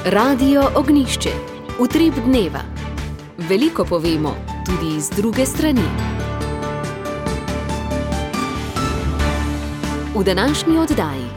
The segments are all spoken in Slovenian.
Radio Ognjišče. Utrip dneva. Veliko povemo, tudi iz druge strani. V današnji oddaji.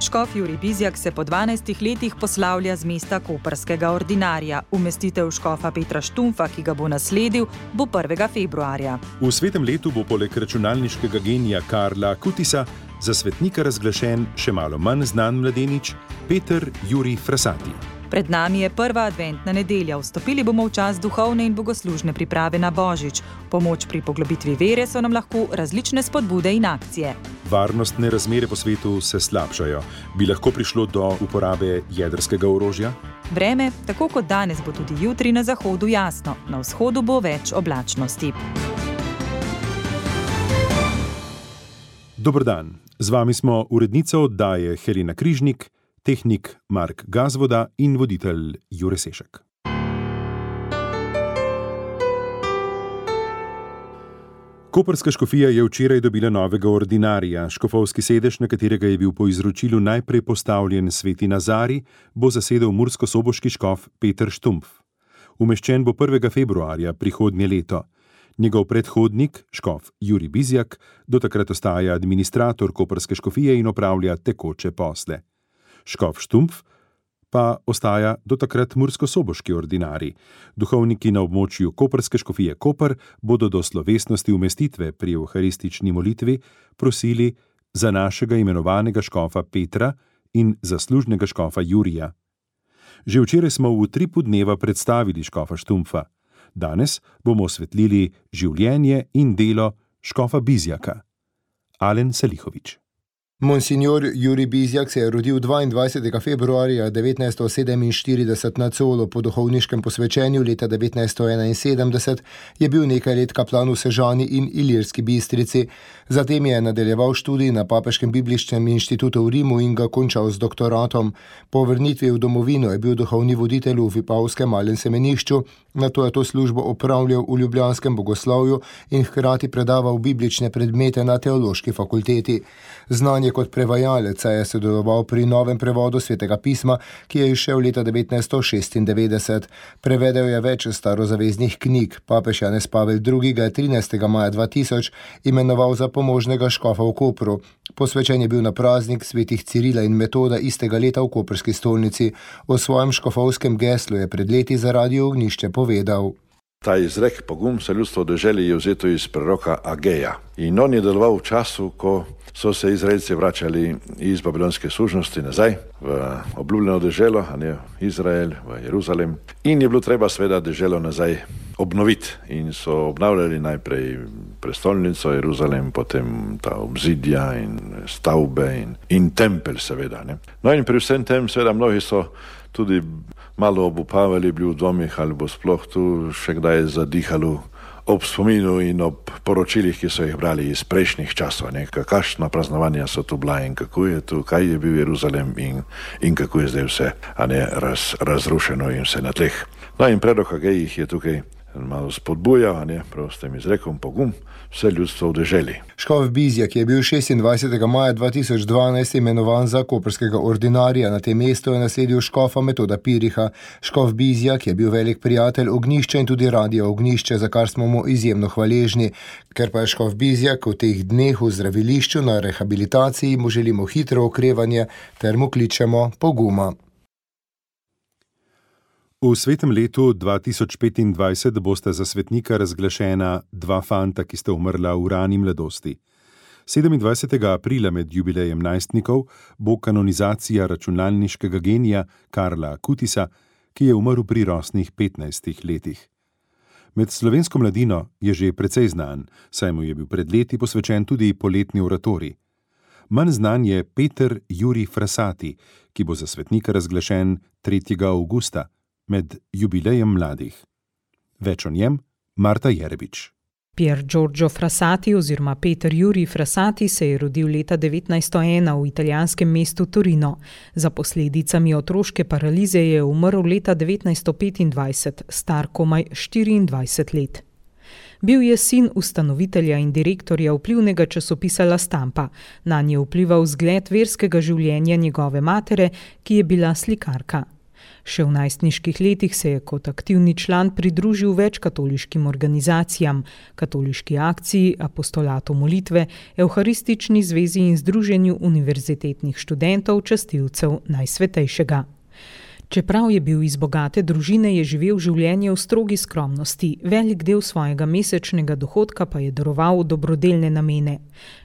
Škof Jurij Bizjak se po 12 letih poslavlja z mesta koprskega ordinarja. Umestitev škofa Petra Štumpfa, ki ga bo nasledil, bo 1. februarja. V svetem letu bo poleg računalniškega genija Karla Kutisa za svetnika razglašen še malo manj znan mladenič Peter Jurij Frasati. Pred nami je prva adventna nedelja. Vstopili bomo v čas duhovne in bogoslužne priprave na Božič. Pomoč pri poglobitvi vere so nam lahko različne spodbude in akcije. Varnostne razmere po svetu se slabšajo. Bi lahko prišlo do uporabe jedrskega orožja? Vreme, tako kot danes, bo tudi jutri na zahodu jasno. Na vzhodu bo več oblačnosti. Dober dan. Z vami smo urednica oddaje Helena Križnik, tehnik Mark Gazvoda in voditelj Jure Sešek. Koprska škofija je včeraj dobila novega ordinarja. Škofovski sedež, na katerega je bil po izročilu najprej postavljen sveti Nazarij, bo zasedel murskosoboški škof Peter Štumpf. Umeščen bo 1. februarja prihodnje leto. Njegov predhodnik, škof Jurij Bizjak, do takrat ostaja administrator koprske škofije in opravlja tekoče posle. Škof Štumpf pa ostaja do takrat murskosoboški ordinarij. Duhovniki na območju koprske škofije Koper bodo do slovesnosti umestitve pri evharistični molitvi prosili za našega imenovanega škofa Petra in zaslužnega škofa Jurija. Že včeraj smo v utripu dneva predstavili škofa Štumpfa. Danes bomo osvetlili življenje in delo škofa Bizjaka. Alen Salihović. Monsignor Jurij Bizjak se je rodil 22. februarja 1947 na Colu. Po duhovniškem posvečenju leta 1971 je bil nekaj let kaplan v Sežani in Ilirski Bistrici. Zatem je nadaljeval študij na Papeškem bibličnem inštitutu v Rimu in ga končal z doktoratom. Po vrnitvi v domovino je bil duhovni voditelj v Vipavskem malem semenišču, nato je to službo opravljal v ljubljanskem bogoslovju in hkrati predaval biblične predmete na teološki fakulteti. Znan je kot prevajalec, saj je sodeloval pri novem prevodu Svetega pisma, ki je izšel leta 1996. Prevedel je več starozaveznih knjig. Papež Janez Pavel II. Ga je 13. maja 2000 imenoval za pomožnega škofa v Kopru. Posvečen je bil na praznik svetih Cirila in Metoda istega leta v koprski stolnici. O svojem škofovskem geslu je pred leti za Radio Ognjišče povedal. Ta izrek pogum se ljudstvo deželi je vzeto iz preroka Ageja. In on je deloval v času, ko so se Izraelci vračali iz babilonske služnosti nazaj v obljubljeno deželo, a ne Izrael, v Jeruzalem. In je bilo treba seveda deželo nazaj obnoviti. In so obnavljali najprej prestolnico Jeruzalem, potem ta obzidja in stavbe in tempelj seveda. Ne. No in pri vsem tem seveda mnogi so tudi malo obupavali, bili v dvomih, ali bo sploh tu še kdaj zadihalo ob spominu in ob poročilih, ki so jih brali iz prejšnjih časov. Kakšna praznovanja so tu bila in kako je tu, kaj je bil Jeruzalem in kako je zdaj vse razrušeno in vse na tleh. No in predlog Agej jih je tukaj malo spodbujal, prav s tem izrekom pogum, vse ljudstvo v deželi. Škof Bizjak je bil 26. maja 2012 imenovan za koprskega ordinarja. Na tem mestu je nasledil škofa Metoda Piriha. Škof Bizjak je bil velik prijatelj Ognjišča in tudi Radia Ognjišče, za kar smo mu izjemno hvaležni. Ker pa je škof Bizjak v teh dneh v zdravilišču na rehabilitaciji, mu želimo hitro okrevanje ter mu kličemo poguma. V svetem letu 2025 bosta za svetnika razglašena dva fanta, ki sta umrla v rani mladosti. 27. aprila med jubilejem najstnikov bo kanonizacija računalniškega genija Karla Kutisa, ki je umrl pri rosnih 15 letih. Med slovensko mladino je že precej znan, saj mu je bil pred leti posvečen tudi poletni oratorij. Manj znan je Peter Jurij Frasati, ki bo za svetnika razglašen 3. avgusta, med jubilejem mladih. Več o njem Marta Jerebič. Pier Giorgio Frassati oziroma Peter Jurij Frasati se je rodil leta 1901 v italijanskem mestu Torino. Za posledicami otroške paralize je umrl leta 1925, star komaj 24 let. Bil je sin ustanovitelja in direktorja vplivnega časopisa La Stampa. Nanj je vplival vzgled verskega življenja njegove matere, ki je bila slikarka. Še v najstniških letih se je kot aktivni član pridružil več katoliškim organizacijam, katoliški akciji, apostolatu molitve, Evharistični zvezi in združenju univerzitetnih študentov, častilcev Najsvetejšega. Čeprav je bil iz bogate družine, je živel življenje v strogi skromnosti, velik del svojega mesečnega dohodka pa je daroval v dobrodelne namene.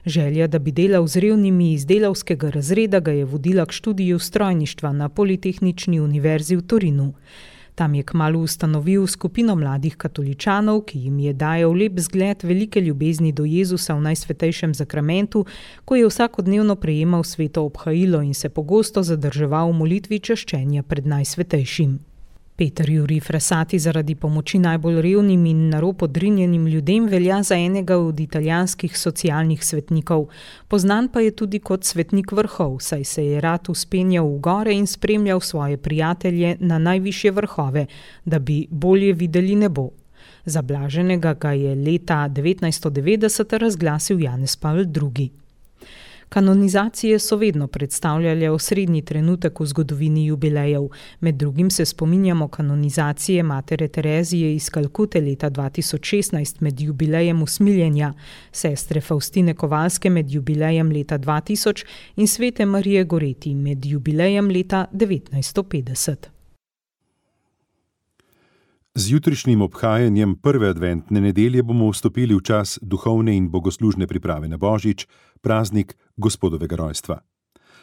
Želja, da bi delal z revnimi iz delavskega razreda, ga je vodila k študiju strojništva na Politehnični univerzi v Torinu. Tam je kmalu ustanovil skupino mladih katoličanov, ki jim je dajal lep zgled velike ljubezni do Jezusa v Najsvetejšem zakramentu, ko je vsakodnevno prejemal sveto obhajilo in se pogosto zadrževal v molitvi čaščenja pred Najsvetejšim. Peter Jurij Frassati zaradi pomoči najbolj revnim in na rob odrinjenim ljudem velja za enega od italijanskih socialnih svetnikov. Poznan pa je tudi kot svetnik vrhov, saj se je rad vzpenjal v gore in spremljal svoje prijatelje na najvišje vrhove, da bi bolje videli nebo. Za blaženega ga je leta 1990 razglasil Janez Pavel II. Kanonizacije so vedno predstavljale osrednji trenutek v zgodovini jubilejev. Med drugim se spominjamo kanonizacije matere Terezije iz Kalkute leta 2016 med jubilejem usmiljenja, sestre Faustine Kovalske med jubilejem leta 2000 in svete Marije Goreti med jubilejem leta 1950. Z jutrišnjim obhajanjem prve adventne nedelje bomo vstopili v čas duhovne in bogoslužne priprave na Božič, praznik Gospodovega rojstva.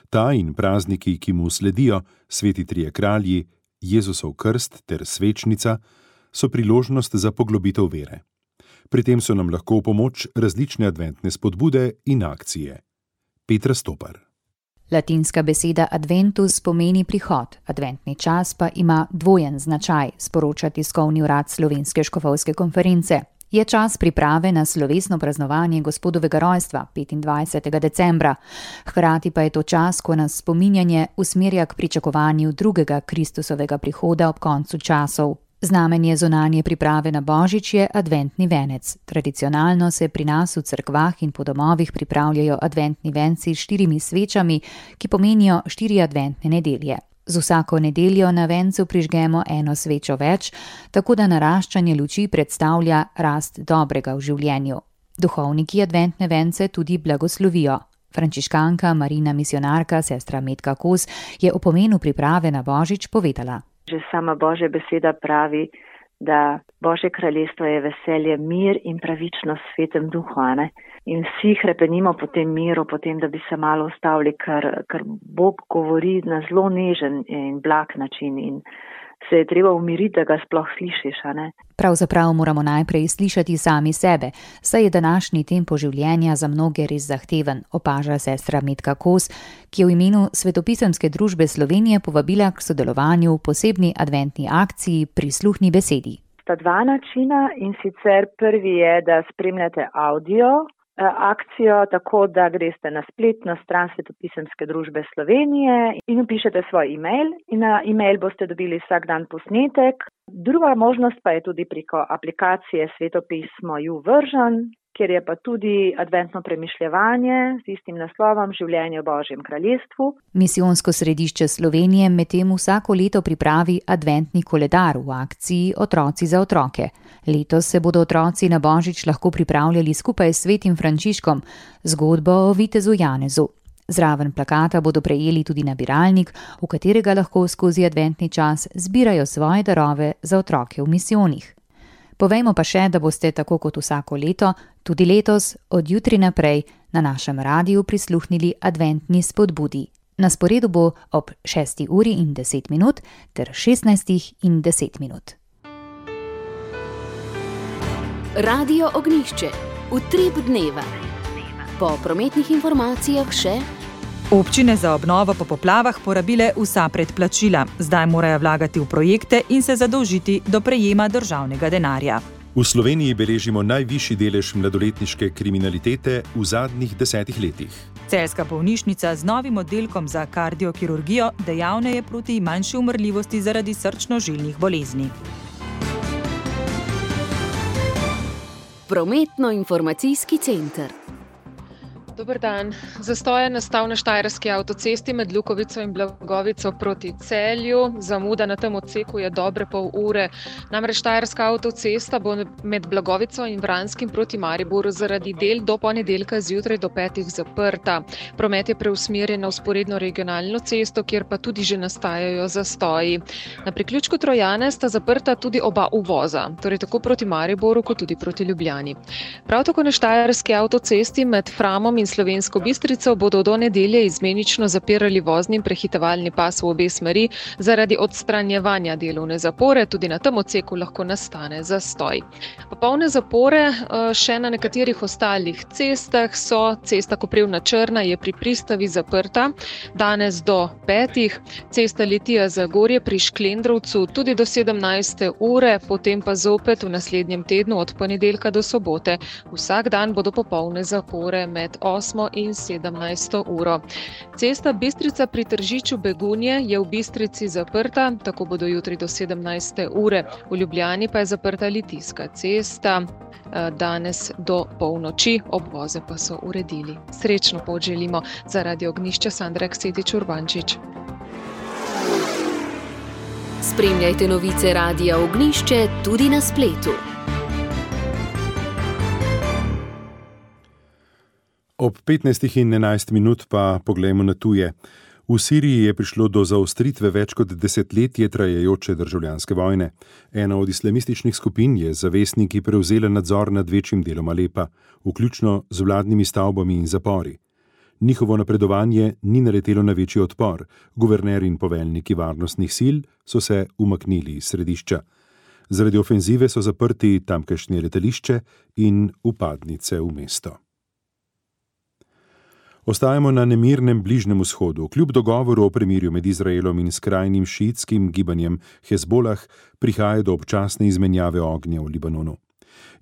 Ta in prazniki, ki mu sledijo, sveti trije kralji, Jezusov krst ter svečnica, so priložnost za poglobitev vere. Pri tem so nam lahko v pomoč različne adventne spodbude in akcije. Petra Stopar. Latinska beseda adventus pomeni prihod, adventni čas pa ima dvojen značaj, sporoča tiskovni urad Slovenske škofovske konference. Je čas priprave na slovesno praznovanje Gospodovega rojstva 25. decembra. Hkrati pa je to čas, ko nas spominjanje usmerja k pričakovanju drugega Kristusovega prihoda ob koncu časov. Znamenje zunanje priprave na Božič je adventni venec. Tradicionalno se pri nas v cerkvah in po domovih pripravljajo adventni venci s 4 svečami, ki pomenijo 4 adventne nedelje. Z vsako nedeljo na vencu prižgemo 1 svečo več, tako da naraščanje luči predstavlja rast dobrega v življenju. Duhovniki adventne vence tudi blagoslovijo. Frančiškanka, Marina misionarka, sestra Metka Kos je o pomenu priprave na Božič povedala. Že sama Božja beseda pravi, da Božje kraljestvo je veselje, mir in pravičnost v svetem duhu, ne? In vsi hrepenimo po tem miru, po tem, da bi se malo ustavili, ker Bog govori na zelo nežen in blag način in se je treba umiriti, da ga sploh slišiš, a ne? Pravzaprav moramo najprej slišati sami sebe, saj je današnji tempo življenja za mnoge res zahteven, opaža sestra Metka Kos, ki je v imenu Svetopisemske družbe Slovenije povabila k sodelovanju v posebni adventni akciji Prisluhni besedi. Sta 2 načina in sicer prvi je, da spremljate audio akcijo, tako da greste na spletno stran Svetopisemske družbe Slovenije in vpišete svoj e-mail in na e-mail boste dobili vsak dan posnetek. Druga možnost pa je tudi preko aplikacije Svetopismo YouVersion, kjer je pa tudi adventno premišljevanje z istim naslovom Življenje v Božjem kraljestvu. Misijonsko središče Slovenije medtem vsako leto pripravi adventni koledar v akciji Otroci za otroke. Letos se bodo otroci na Božič lahko pripravljali skupaj s svetim Frančiškom, zgodbo o vitezu Janezu. Zraven plakata bodo prejeli tudi nabiralnik, v katerega lahko skozi adventni čas zbirajo svoje darove za otroke v misijonih. Povejmo pa še, da boste tako kot vsako leto, tudi letos, od jutri naprej, na našem radiju prisluhnili adventni spodbudi. Na sporedu bo ob 6:10 ter 16:10. Radio Ognjišče, utrip dneva. Po prometnih informacijah še: občine za obnovo po poplavah porabile vsa predplačila. Zdaj morajo vlagati v projekte in se zadolžiti do prejema državnega denarja. V Sloveniji beležimo najvišji delež mladoletniške kriminalitete v zadnjih 10 letih. Celjska bolnišnica z novim oddelkom za kardiokirurgijo dejavna je proti manjši umrljivosti zaradi srčno-žilnih bolezni. Prometno-informacijski center. Dober dan. Zastoj je nastal na štajerski avtocesti med Lukovico in Blagovico proti Celju. Zamuda na tem odseku je dobre pol ure. Namreč štajerska avtocesta bo med Blagovico in Vranskim proti Mariboru zaradi del do ponedeljka zjutraj do 5 zaprta. Promet je preusmerjen na vzporedno regionalno cesto, kjer pa tudi že nastajajo zastoji. Na priključku Trojane sta zaprta tudi oba uvoza, torej tako proti Mariboru kot tudi proti Ljubljani. Prav tako na štajerski avtocesti med Framom in Slovensko Bistrico bodo do nedelje izmenično zapirali vozni in prehitevalni pas v obe smeri zaradi odstranjevanja delovne zapore. Tudi na tem odseku lahko nastane zastoj. Popolne zapore še na nekaterih ostalih cestah so. Cesta Koprivna-Črna je pri Pristavi zaprta danes do 5. Cesta Litija-Zagorje pri Šklendrovcu tudi do 17. ure, potem pa zopet v naslednjem tednu od ponedeljka do sobote. Vsak dan bodo popolne zapore med 8. in 17. uro. Cesta Bistrica pri Tržiču Begunje je v Bistrici zaprta, tako bodo jutri do 17. ure. V Ljubljani pa je zaprta Litijska cesta danes do polnoči, obvoze pa so uredili. Srečno pot želimo. Za Radio Ognjišče Sandra Ksetič Urbančič. Spremljajte novice Radia Ognjišče tudi na spletu. Ob 15:11 pa poglejmo na tuje. V Siriji je prišlo do zaostritve več kot desetletje trajajoče državljanske vojne. Ena od islamističnih skupin je z zavestniki prevzela nadzor nad večjim delom Alepa, vključno z vladnimi stavbami in zapori. Njihovo napredovanje ni naletelo na večji odpor. Guverner in poveljniki varnostnih sil so se umaknili iz središča. Zaradi ofenzive so zaprti tamkajšnje letališče in vpadnice v mesto. Ostajamo na nemirnem Bližnjem vzhodu. Kljub dogovoru o premirju med Izraelom in skrajnim šiitskim gibanjem Hezbolah prihaja do občasne izmenjave ognja v Libanonu.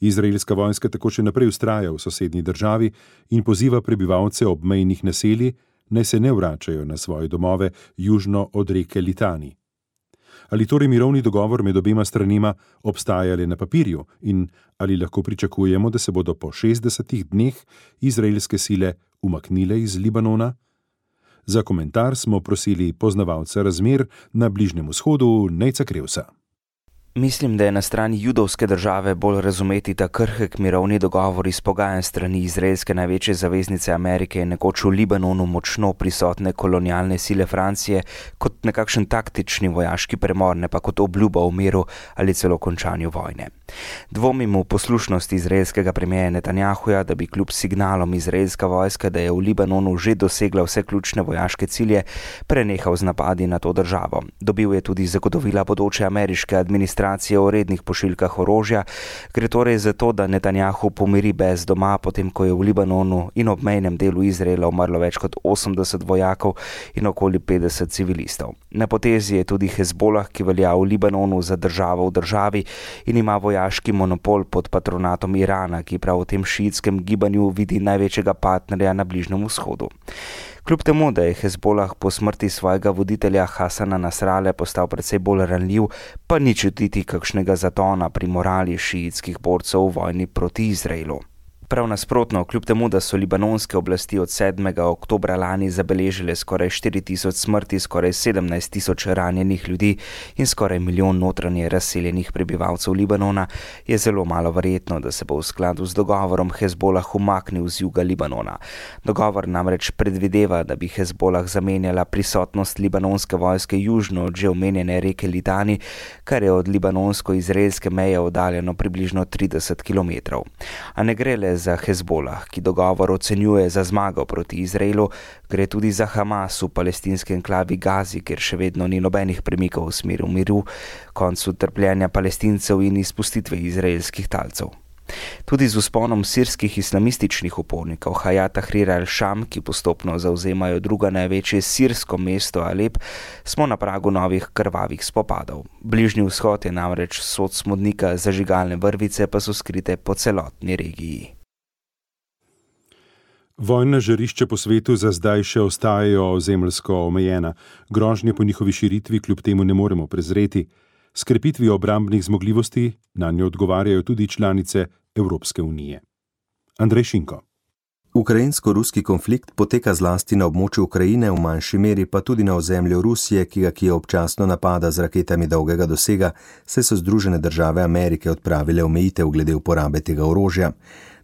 Izraelska vojska tako še naprej vztraja v sosednji državi in poziva prebivalce obmejnih naselij, naj se ne vračajo na svoje domove južno od reke Litani. Ali torej mirovni dogovor med obema stranima obstaja le na papirju in ali lahko pričakujemo, da se bodo po 60 dneh izraelske sile umaknile iz Libanona? Za komentar smo prosili poznavalca razmer na Bližnjem vzhodu Nejca Krevsa. Mislim, da je na strani judovske države bolj razumeti ta krhek mirovni dogovor izpogajan strani izraelske največje zaveznice Amerike in nekoč v Libanonu močno prisotne kolonialne sile Francije kot nekakšen taktični vojaški premor, ne pa kot obljuba o miru ali celo končanju vojne. Dvomim v poslušnost izraelskega premierja Netanjahuja, da bi kljub signalom izraelska vojska, da je v Libanonu že dosegla vse ključne vojaške cilje, prenehal z napadi na to državo. Dobil je tudi zagotovila bodoče ameriške administracije o rednih pošiljkah orožja. Gre torej za to, da Netanjahu pomiri bes doma, potem ko je v Libanonu in obmejnem delu Izraela umrlo več kot 80 vojakov in okoli 50 civilistov. Na potezi je tudi Hezbolah, ki velja v Libanonu za državo v državi in ima vojaški monopol pod patronatom Irana, ki prav v tem šiitskem gibanju vidi največjega partnerja na Bližnjem vzhodu. Kljub temu, da je Hezbolah po smrti svojega voditelja Hasana Nasrale postal precej bolj ranljiv, pa ni čutiti kakšnega zatona pri morali šiitskih borcev v vojni proti Izraelu. Prav nasprotno, kljub temu, da so libanonske oblasti od 7. oktobra lani zabeležile skoraj 4.000 smrti, skoraj 17.000 ranjenih ljudi in skoraj 1 milijon notranje razseljenih prebivalcev Libanona, je zelo malo verjetno, da se bo v skladu z dogovorom Hezbolah umaknil z juga Libanona. Dogovor namreč predvideva, da bi Hezbolah zamenjala prisotnost libanonske vojske južno od že omenjene reke Litani, kar je od libanonsko-izraelske meje oddaljeno približno 30 km. A ne gre le za Hezbolah, ki dogovor ocenjuje za zmago proti Izraelu, gre tudi za Hamas v palestinski enklavi Gazi, kjer še vedno ni nobenih premikov v smeru miru, koncu trpljenja Palestincev in izpustitve izraelskih talcev. Tudi z vzponom sirskih islamističnih upornikov Hayat Tahrir al-Sham, ki postopno zavzemajo drugo največje sirsko mesto Alep, smo na pragu novih krvavih spopadov. Bližnji vzhod je namreč sod smodnika, zažigalne vrvice pa so skrite po celotni regiji. Vojna žarišča po svetu za zdaj še ostajajo ozemeljsko omejena. Grožnje po njihovi širitvi kljub temu ne moremo prezreti. S krepitvijo obrambnih zmogljivosti nanjo odgovarjajo tudi članice Evropske unije. Andrej Šinko. Ukrajinsko-ruski konflikt poteka zlasti na območju Ukrajine, v manjši meri pa tudi na ozemlju Rusije, ki ga Kijev občasno napada z raketami dolgega dosega, saj so Združene države Amerike odpravile omejitev glede uporabe tega orožja.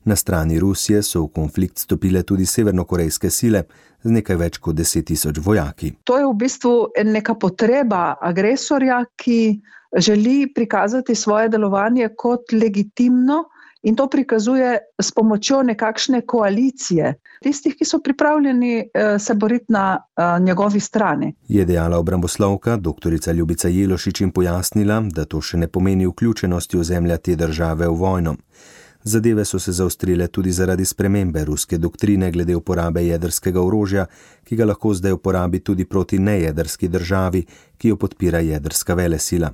Na strani Rusije so v konflikt stopile tudi severnokorejske sile z nekaj več kot 10.000 vojaki. To je v bistvu neka potreba agresorja, ki želi prikazati svoje delovanje kot legitimno in to prikazuje s pomočjo nekakšne koalicije tistih, ki so pripravljeni se boriti na njegovi strani. Je dejala obramboslovka dr. Ljubica Jelošič in pojasnila, da to še ne pomeni vključenosti ozemlja te države v vojno. Zadeve so se zaostrile tudi zaradi spremembe ruske doktrine glede uporabe jedrskega orožja, ki ga lahko zdaj uporabi tudi proti nejedrski državi, ki jo podpira jedrska velesila.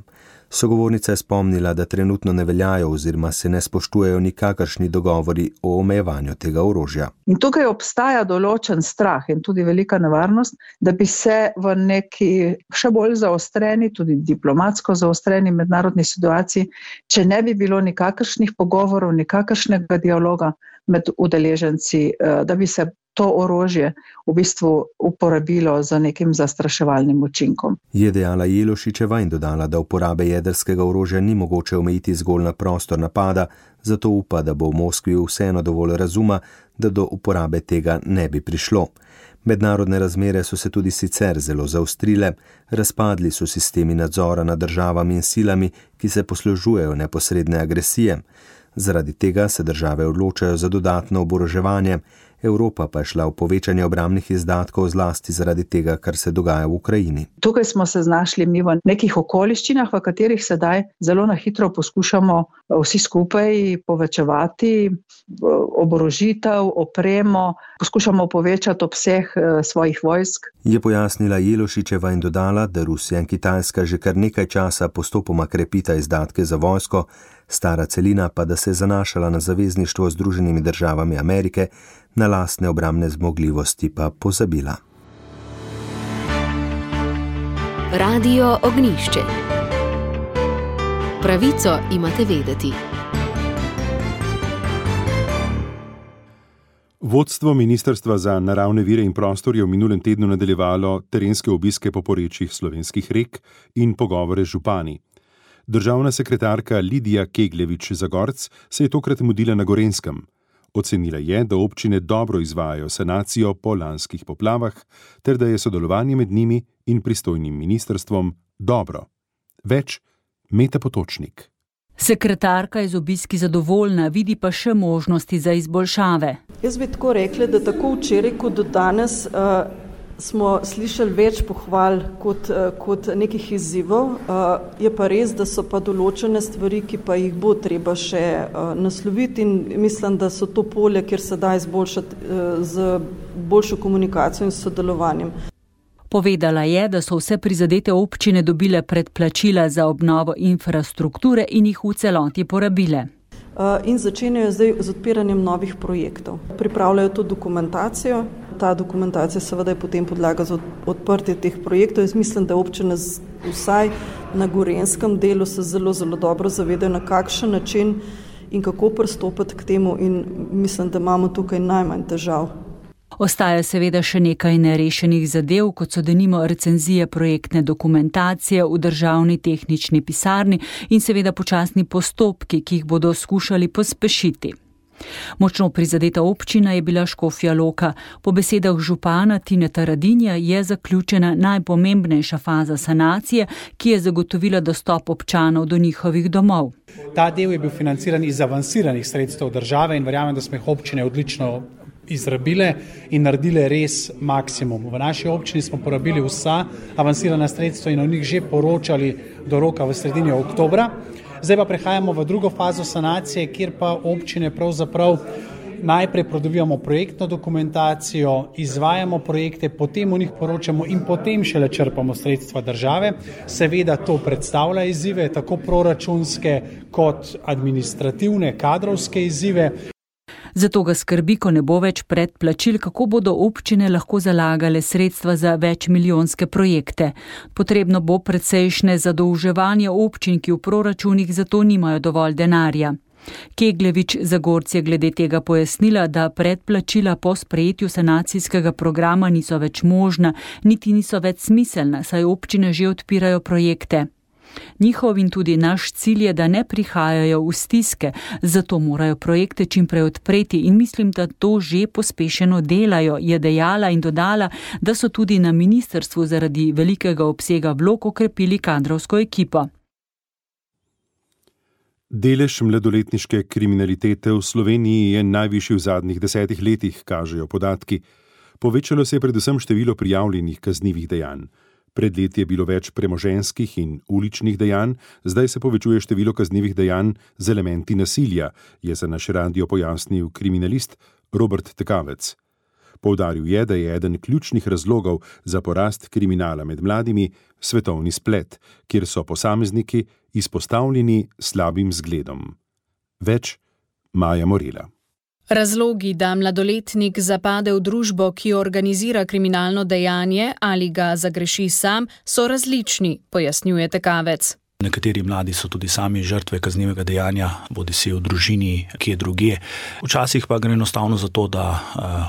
Sogovornica je spomnila, da trenutno ne veljajo oziroma se ne spoštujejo nikakršni dogovori o omejevanju tega orožja. In tukaj obstaja določen strah in tudi velika nevarnost, da bi se v neki še bolj zaostreni, tudi diplomatsko zaostreni mednarodni situaciji, če ne bi bilo nikakršnih pogovorov, nikakršnega dialoga med udeleženci, da bi se to orožje v bistvu uporabilo za nekim zastraševalnim učinkom. Je dejala Jelošičeva in dodala, da uporabe jedrskega orožja ni mogoče omejiti zgolj na prostor napada, zato upa, da bo v Moskvi vseeno dovolj razuma, da do uporabe tega ne bi prišlo. Mednarodne razmere so se tudi sicer zelo zaostrile, razpadli so sistemi nadzora nad državami in silami, ki se poslužujejo neposredne agresije. Zaradi tega se države odločajo za dodatno oboroževanje, Evropa pa je šla v povečanje obrambnih izdatkov zlasti zaradi tega, kar se dogaja v Ukrajini. Tukaj smo se znašli mi v nekih okoliščinah, v katerih sedaj zelo na hitro poskušamo vsi skupaj povečevati oborožitev, opremo, poskušamo povečati obseg svojih vojsk. Je pojasnila Jelošičeva in dodala, da Rusija in Kitajska že kar nekaj časa postopoma krepita izdatke za vojsko, stara celina pa da se je zanašala na zavezništvo z Združenimi državami Amerike, na lastne obrambne zmogljivosti pa pozabila. Radio Ognjišče. Pravico imate vedeti. Vodstvo Ministrstva za naravne vire in prostor je v minulem tednu nadaljevalo terenske obiske po porečjih slovenskih rek in pogovore z župani. Državna sekretarka Lidija Kegljevič-Zagorc se je tokrat mudila na Gorenjskem. Ocenila je, da občine dobro izvajajo sanacijo po lanskih poplavah, ter da je sodelovanje med njimi in pristojnim ministrstvom dobro. Več Meta Potočnik. Sekretarka je z obiski zadovoljna, vidi pa še možnosti za izboljšave. Jaz bi tako rekla, da tako včeraj kot do danes smo slišali več pohval kot nekih izzivov. Je pa res, da so pa določene stvari, ki pa jih bo treba še nasloviti in mislim, da so to polje, kjer se da izboljšati z boljšo komunikacijo in sodelovanjem. Povedala je, da so vse prizadete občine dobile predplačila za obnovo infrastrukture in jih v celoti porabile. In začenjajo zdaj z odpiranjem novih projektov. Pripravljajo to dokumentacijo. Ta dokumentacija seveda je potem podlaga za odprtje teh projektov. Jaz mislim, da občine vsaj na Gorenjskem delu se zelo, zelo dobro zavedajo, na kakšen način in kako pristopiti k temu in mislim, da imamo tukaj najmanj težav. Ostaja seveda še nekaj nerešenih zadev, kot so denimo recenzije projektne dokumentacije v državni tehnični pisarni in seveda počasni postopki, ki jih bodo skušali pospešiti. Močno prizadeta občina je bila Škofja Loka. Po besedah župana Tineta Radinja je zaključena najpomembnejša faza sanacije, ki je zagotovila dostop občanov do njihovih domov. Ta del je bil financiran iz avansiranih sredstev države in verjamem, da smo jih občine odlično izrabile in naredile res maksimum. V naši občini smo porabili vsa avansirana sredstva in o njih že poročali do roka v sredini oktobra. Zdaj pa prehajamo v drugo fazo sanacije, kjer pa občine pravzaprav najprej pridobivamo projektno dokumentacijo, izvajamo projekte, potem o njih poročamo in potem šele črpamo sredstva države. Seveda to predstavlja izzive, tako proračunske kot administrativne, kadrovske izzive. Zato ga skrbi, ko ne bo več predplačil, kako bodo občine lahko zalagale sredstva za večmilijonske projekte. Potrebno bo precejšnje zadolževanje občin, ki v proračunih zato nimajo dovolj denarja. Kegljevič Zagorc je glede tega pojasnila, da predplačila po sprejetju sanacijskega programa niso več možna, niti niso več smiselna, saj občine že odpirajo projekte. Njihov in tudi naš cilj je, da ne prihajajo v stiske, zato morajo projekte čimprej odpreti in mislim, da to že pospešeno delajo, je dejala in dodala, da so tudi na ministrstvu zaradi velikega obsega vlog okrepili kadrovsko ekipo. Delež mladoletniške kriminalitete v Sloveniji je najvišji v zadnjih 10 letih, kažejo podatki. Povečalo se je predvsem število prijavljenih kaznivih dejanj. Pred leti je bilo več premoženjskih in uličnih dejanj, zdaj se povečuje število kaznivih dejanj z elementi nasilja, je za naš radio pojasnil kriminalist Robert Tekavec. Poudaril je, da je eden ključnih razlogov za porast kriminala med mladimi svetovni splet, kjer so posamezniki izpostavljeni slabim zgledom. Več Maja Morela. Razlogi, da mladoletnik zapade v družbo, ki organizira kriminalno dejanje ali ga zagreši sam, so različni, pojasnjuje Tekavec. Nekateri mladi so tudi sami žrtve kaznivega dejanja, bodisi v družini, kje drugje. Včasih pa gre enostavno za to, da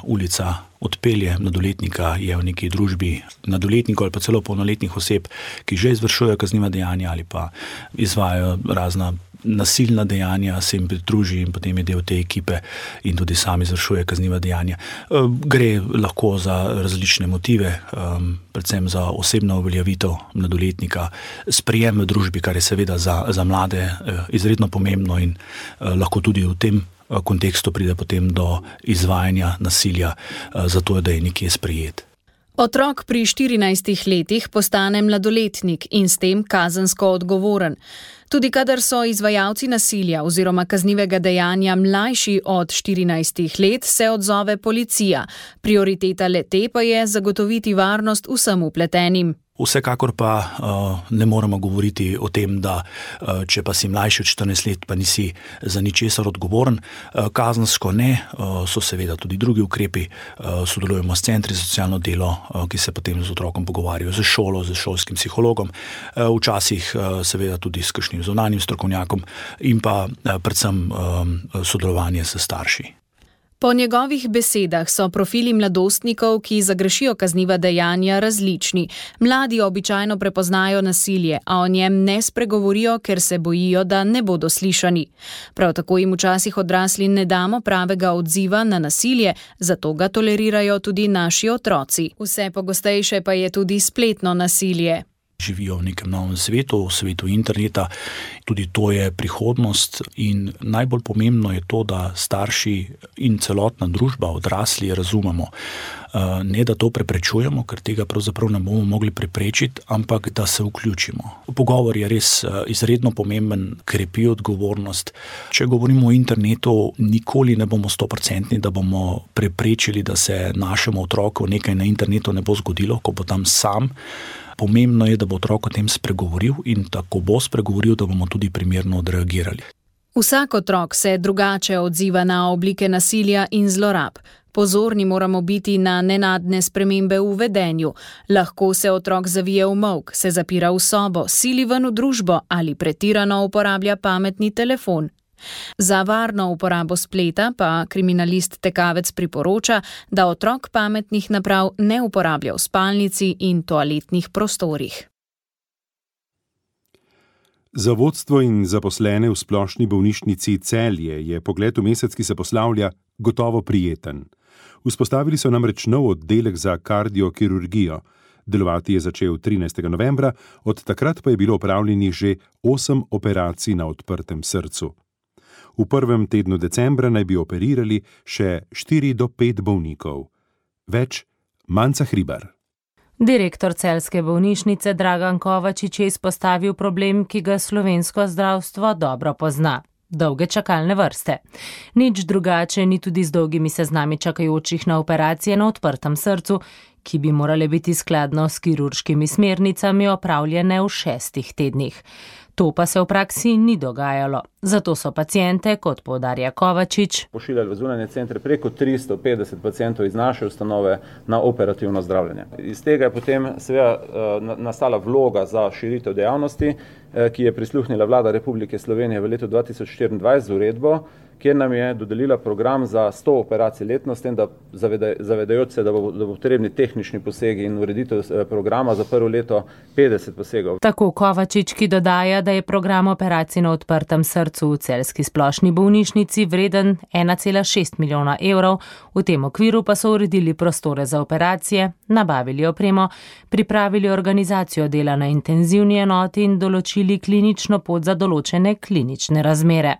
ulica odpelje mladoletnika, je v neki družbi mladoletnikov ali pa celo polnoletnih oseb, ki že izvršujejo kazniva dejanja ali pa izvajajo razna nasilna dejanja, se jim pridruži in potem je del te ekipe in tudi sami izvršuje kazniva dejanja. Gre lahko za različne motive, predvsem za osebno uveljavitev mladoletnika, sprejem v družbi, kar je seveda za mlade izredno pomembno in lahko tudi v tem kontekstu pride potem do izvajanja nasilja, zato da je nekje sprejet. Otrok pri 14 letih postane mladoletnik in s tem kazensko odgovoren. Tudi kadar so izvajalci nasilja oziroma kaznivega dejanja mlajši od 14 let, se odzove policija. Prioriteta le-te pa je zagotoviti varnost vsem vpletenim. Vsekakor pa ne moremo govoriti o tem, da če pa si mlajši od 14 let, pa nisi za ničesar odgovoren. Kazensko ne, so seveda tudi drugi ukrepi. Sodelujemo s centri za socialno delo, ki se potem z otrokom pogovarjajo z šolo, z šolskim psihologom, včasih seveda tudi s kakšnim zunanjim strokovnjakom in pa predvsem sodelovanje s starši. Po njegovih besedah so profili mladostnikov, ki zagrešijo kazniva dejanja, različni. Mladi običajno prepoznajo nasilje, a o njem ne spregovorijo, ker se bojijo, da ne bodo slišani. Prav tako jim včasih odrasli ne damo pravega odziva na nasilje, zato ga tolerirajo tudi naši otroci. Vse pogostejše pa je tudi spletno nasilje. Živijo v nekem novem svetu, v svetu interneta, tudi to je prihodnost in najbolj pomembno je to, da starši in celotna družba, odrasli, razumemo. Ne, da to preprečujemo, ker tega pravzaprav ne bomo mogli preprečiti, ampak da se vključimo. Pogovor je res izredno pomemben, krepi odgovornost. Če govorimo o internetu, nikoli ne bomo 100%, da bomo preprečili, da se našemu otroku nekaj na internetu ne bo zgodilo, ko bo tam sam. Pomembno je, da bo otrok o tem spregovoril in tako bo spregovoril, da bomo tudi primerno odreagirali. Vsak otrok se drugače odziva na oblike nasilja in zlorab. Pozorni moramo biti na nenadne spremembe v vedenju. Lahko se otrok zavije v molk, se zapira v sobo, sili ven v družbo ali pretirano uporablja pametni telefon. Za varno uporabo spleta pa kriminalist Tekavec priporoča, da otrok pametnih naprav ne uporablja v spalnici in toaletnih prostorih. Za vodstvo in zaposlene v splošni bolnišnici Celje je pogled v mesec, ki se poslavlja, gotovo prijeten. Vzpostavili so namreč nov oddelek za kardiokirurgijo. Delovati je začel 13. novembra, od takrat pa je bilo opravljenih že 8 operacij na odprtem srcu. V prvem tednu decembra naj bi operirali še 4 do 5 bolnikov. Več Manca Hribar. Direktor celjske bolnišnice Dragan Kovačič je izpostavil problem, ki ga slovensko zdravstvo dobro pozna. Dolge čakalne vrste. Nič drugače ni tudi z dolgimi seznami čakajočih na operacije na odprtem srcu, ki bi morale biti skladno s kirurškimi smernicami opravljene v 6 tednih. To pa se v praksi ni dogajalo. Zato so paciente, kot poudarja Kovačič, pošiljali v zunanje centre preko 350 pacientov iz naše ustanove na operativno zdravljenje. Iz tega je potem seveda nastala vloga za širitev dejavnosti, ki je prisluhnila Vlada Republike Slovenije v letu 2024 z uredbo, kjer nam je dodelila program za 100 operacij letno, s tem, da zavedajoč se, da bo potrebni tehnični posegi in ureditev programa za prvo leto 50 posegov. Tako Kovačič, ki dodaja, da je program operacij na odprtem srcu v celjski splošni bolnišnici vreden 1,6 milijona evrov, v tem okviru pa so uredili prostore za operacije, nabavili opremo, pripravili organizacijo dela na intenzivni enoti in določili klinično pot za določene klinične razmere.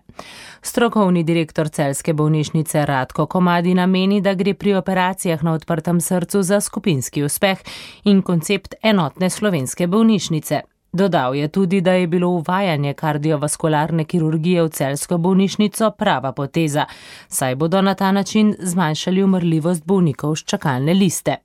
Strokovni direktor celjske bolnišnice Radko Komadina meni, da gre pri operacijah na odprtem srcu za skupinski uspeh in koncept enotne slovenske bolnišnice. Dodal je tudi, da je bilo uvajanje kardiovaskularne kirurgije v celjsko bolnišnico prava poteza, saj bodo na ta način zmanjšali umrljivost bolnikov s čakalne liste.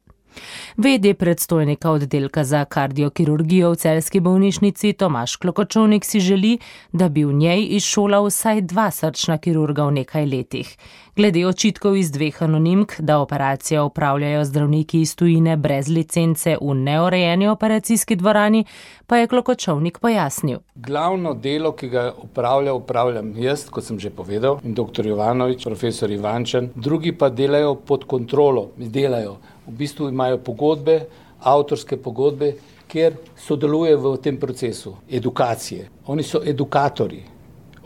V.d. predstojnika oddelka za kardiokirurgijo v celjski bolnišnici Tomaž Klokočovnik si želi, da bi v njej izšolal vsaj 2 srčna kirurga v nekaj letih. Glede očitkov iz 2 anonimk, da operacijo opravljajo zdravniki iz tujine brez licence v neurejeni operacijski dvorani, pa je Klokočovnik pojasnil. Glavno delo, ki ga upravljam jaz, kot sem že povedal, in dr. Jovanovič, profesor Ivančan, drugi pa delajo pod kontrolo, v bistvu imajo pogodbe, avtorske pogodbe, kjer sodelujejo v tem procesu edukacije. Oni so edukatorji,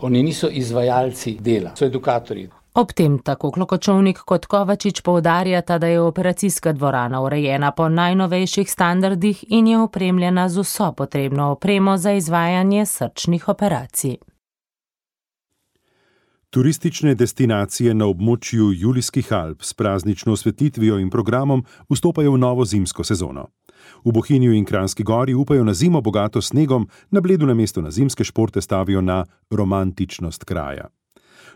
oni niso izvajalci dela, so edukatorji. Ob tem tako Klokočovnik kot Kovačič poudarjata, da je operacijska dvorana urejena po najnovejših standardih in je opremljena z vso potrebno opremo za izvajanje srčnih operacij. Turistične destinacije na območju Julijskih Alp s praznično osvetlitvijo in programom vstopajo v novo zimsko sezono. V Bohinju in Kranjski Gori upajo na zimo bogato snegom, na Bledu namesto na zimske športe stavijo na romantičnost kraja.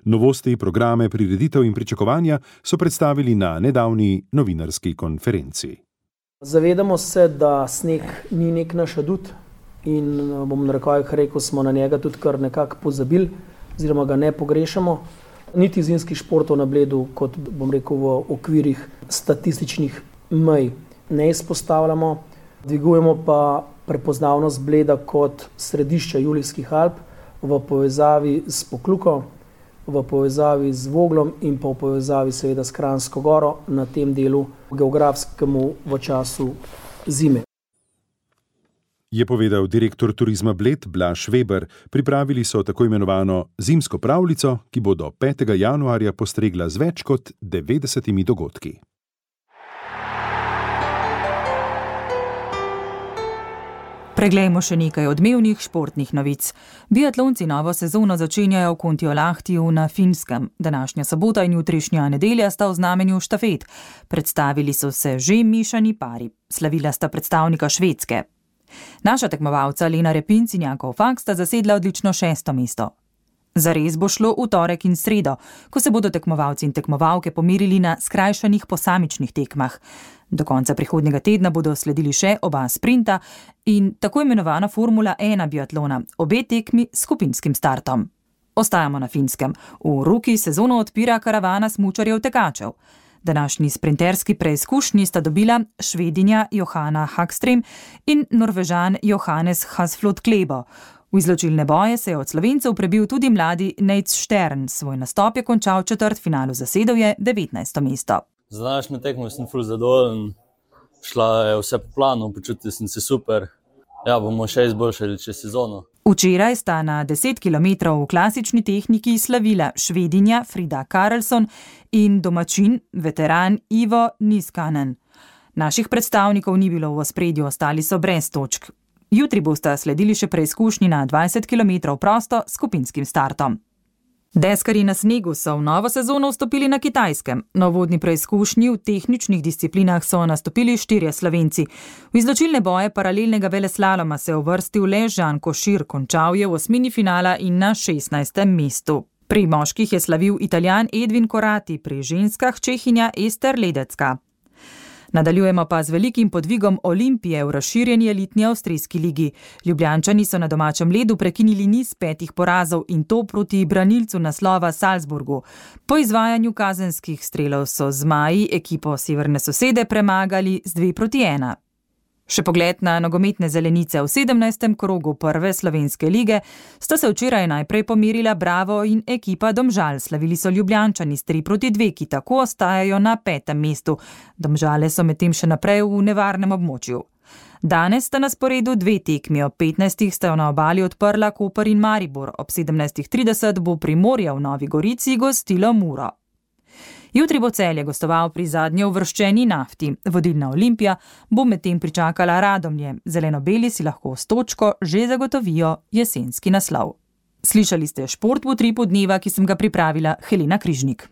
Novosti, programe, prireditev in pričakovanja so predstavili na nedavni novinarski konferenci. Zavedamo se, da sneg ni nek naš adut in bom na rekel, smo na njega tudi kar nekako pozabili, oziroma ga ne pogrešamo. Niti zimskih športov na Bledu, kot bom rekel v okvirih statističnih mej, ne izpostavljamo. Dvigujemo pa prepoznavnost Bleda kot središča Julijskih Alp v povezavi s Pokluko, v povezavi z Voglom in pa v povezavi seveda s Kranjsko Goro na tem delu geografskemu v času zime. Je povedal direktor turizma Bled Blaž Weber. Pripravili so tako imenovano zimsko pravljico, ki bo do 5. januarja postregla z več kot 90 dogodki. Preglejmo še nekaj odmevnih športnih novic. Biatlonci novo sezono začenjajo v Kontiolahtiju na Finskem. Današnja sobota in jutrišnja nedelja sta v znamenju štafet. Predstavili so se že mešani pari. Slavila sta predstavnika Švedske. Naša tekmovalca Lena Repinc in Jakov Fak sta zasedla odlično 6. mesto. Zares bo šlo v torek in sredo, ko se bodo tekmovalci in tekmovalke pomerili na skrajšanih posamičnih tekmah. Do konca prihodnjega tedna bodo sledili še oba sprinta in tako imenovana Formula 1 biatlona, obe tekmi s skupinskim startom. Ostajamo na Finskem. V Ruki sezono odpira karavana smučarjev tekačev. Današnji sprinterski preizkušnji sta dobila Švedinja Johanna Hagström in Norvežan Johannes Hasflot Klebo. V izločilne boje se je od Slovencev prebil tudi mladi Nejc Štern. Svoj nastop je končal v četrtfinalu, zasedel je 19. mesto. Za današnjo tekmo sem ful zadovoljen. Šla je vse po planu, počutil sem se super. Ja, bomo še izboljšali čez sezono. Včeraj sta na 10 km v klasični tehniki slavila Švedinja Frida Karlsson in domačin, veteran Ivo Niskanen. Naših predstavnikov ni bilo v ospredju, ostali so brez točk. Jutri bosta sledili še preizkušnji na 20 km prosto s skupinskim startom. Deskarji na snegu so v novo sezono vstopili na Kitajskem. Na uvodni preizkušnji v tehničnih disciplinah so nastopili 4 Slovenci. V izločilne boje paralelnega veleslaloma se je uvrstil le Žan Košir, končal je v osmini finala in na 16. mestu. Pri moških je slavil Italijan Edvin Korati, pri ženskah Čehinja Ester Ledecka. Nadaljujemo pa z velikim podvigom Olimpije v razširjeni elitni avstrijski ligi. Ljubljančani so na domačem ledu prekinili niz 5 porazov in to proti branilcu naslova Salzburgu. Po izvajanju kazenskih strelov so zmaji ekipo severne sosede premagali z 2-1. Še pogled na nogometne zelenice v 17. krogu prve slovenske lige sta se včeraj najprej pomirila Bravo in ekipa Domžal. Slavili so Ljubljančani s 3-2, ki tako ostajajo na 5. mestu. Domžale so medtem še naprej v nevarnem območju. Danes sta na sporedu 2 tekmi, ob 15. sta na obali odprla Koper in Maribor, ob 17.30 bo Primorje v Novi Gorici gostilo Muro. Jutri bo Celje gostoval pri zadnje uvrščeni Nafti. Vodilna Olimpija bo medtem pričakala Radomlje. Zeleno-beli si lahko s točko že zagotovijo jesenski naslov. Slišali ste Šport v utripu dneva, ki sem ga pripravila Helena Križnik.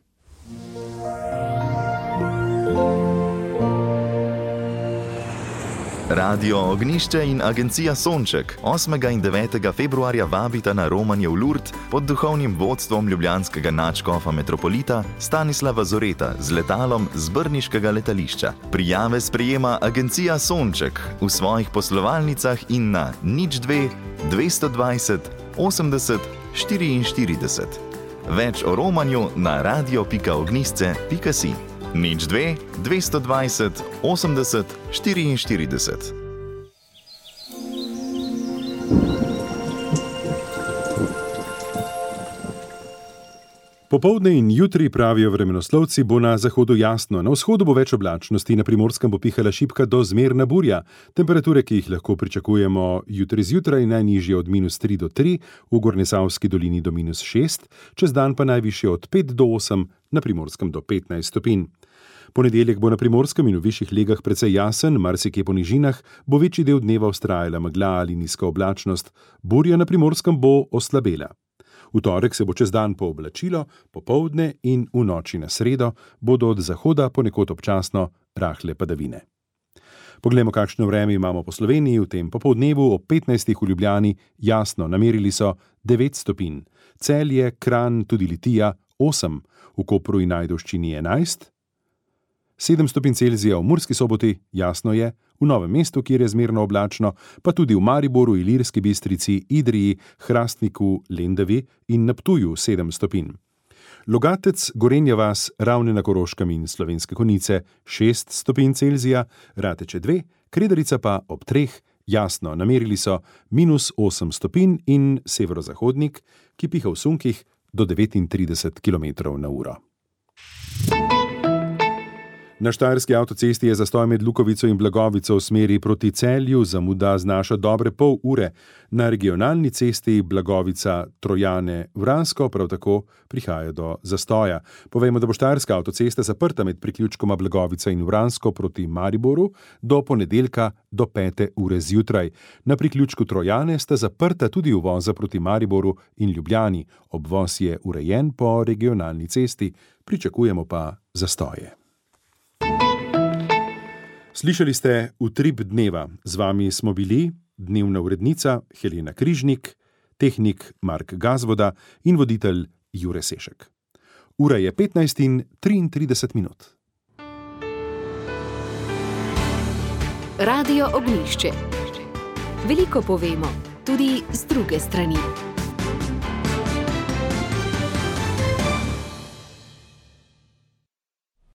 Radio Ognišče in agencija Sonček 8. in 9. februarja vabita na romanje v Lourdes pod duhovnim vodstvom ljubljanskega nadškofa metropolita Stanislava Zoreta z letalom z brniškega letališča. Prijave sprejema agencija Sonček v svojih poslovalnicah in na 02 220 80 44. Več o romanju na radio.ognisce.si. 02 220 80 44. Popoldne in jutri, pravijo vremenoslovci, bo na zahodu jasno. Na vzhodu bo več oblačnosti, na Primorskem bo pihala šibka do zmerna burja. Temperature, ki jih lahko pričakujemo jutri zjutraj, najnižje od -3 do 3, v Gornjesavski dolini do -6, čez dan pa najvišje od 5 do 8, na Primorskem do 15 stopinj. Ponedeljek bo na Primorskem in v višjih legah precej jasen, marsikje po nižinah bo večji del dneva vztrajala megla ali nizka oblačnost. Burja na Primorskem bo oslabela. V torek se bo čez dan pooblačilo, popoldne in v noči na sredo bodo od zahoda ponekod občasno rahle padavine. Poglejmo, kakšno vreme imamo po Sloveniji v tem popoldnevu. Ob 15. v Ljubljani jasno, namerili so 9 stopinj. Celje, Kranj, tudi Litija 8, v Kopru in Ajdovščini 11, 7 stopinj Celzija v Murski Soboti, jasno je, v Novem mestu, kjer je zmerno oblačno, pa tudi v Mariboru, Ilirski Bistrici, Idriji, Hrastniku, Lendavi in na Ptuju 7 stopinj. Logatec, Gorenja vas, Ravne na Koroškem in Slovenske Konjice 6 stopinj Celzija, Rateče 2, Kredarica pa ob 3, jasno, namerili so -8 stopinj in severozahodnik, ki piha v sunkih do 39 km/h. Na štajerski avtocesti je zastoj med Lukovico in Blagovico v smeri proti Celju, zamuda znaša dobre pol ure. Na regionalni cesti Blagovica-Trojane-Vransko prav tako prihaja do zastoja. Povejmo, da bo štajerska avtocesta zaprta med priključkoma Blagovica in Vransko proti Mariboru do ponedeljka do 5. ure zjutraj. Na priključku Trojane sta zaprta tudi uvoza proti Mariboru in Ljubljani. Obvoz je urejen po regionalni cesti, pričakujemo pa zastoje. Slišali ste Utrip dneva. Z vami smo bili dnevna urednica Helena Križnik, tehnik Mark Gazvoda in voditelj Jure Sešek. Ura je 15:33. Radio Ognjišče. Veliko povemo, tudi z druge strani.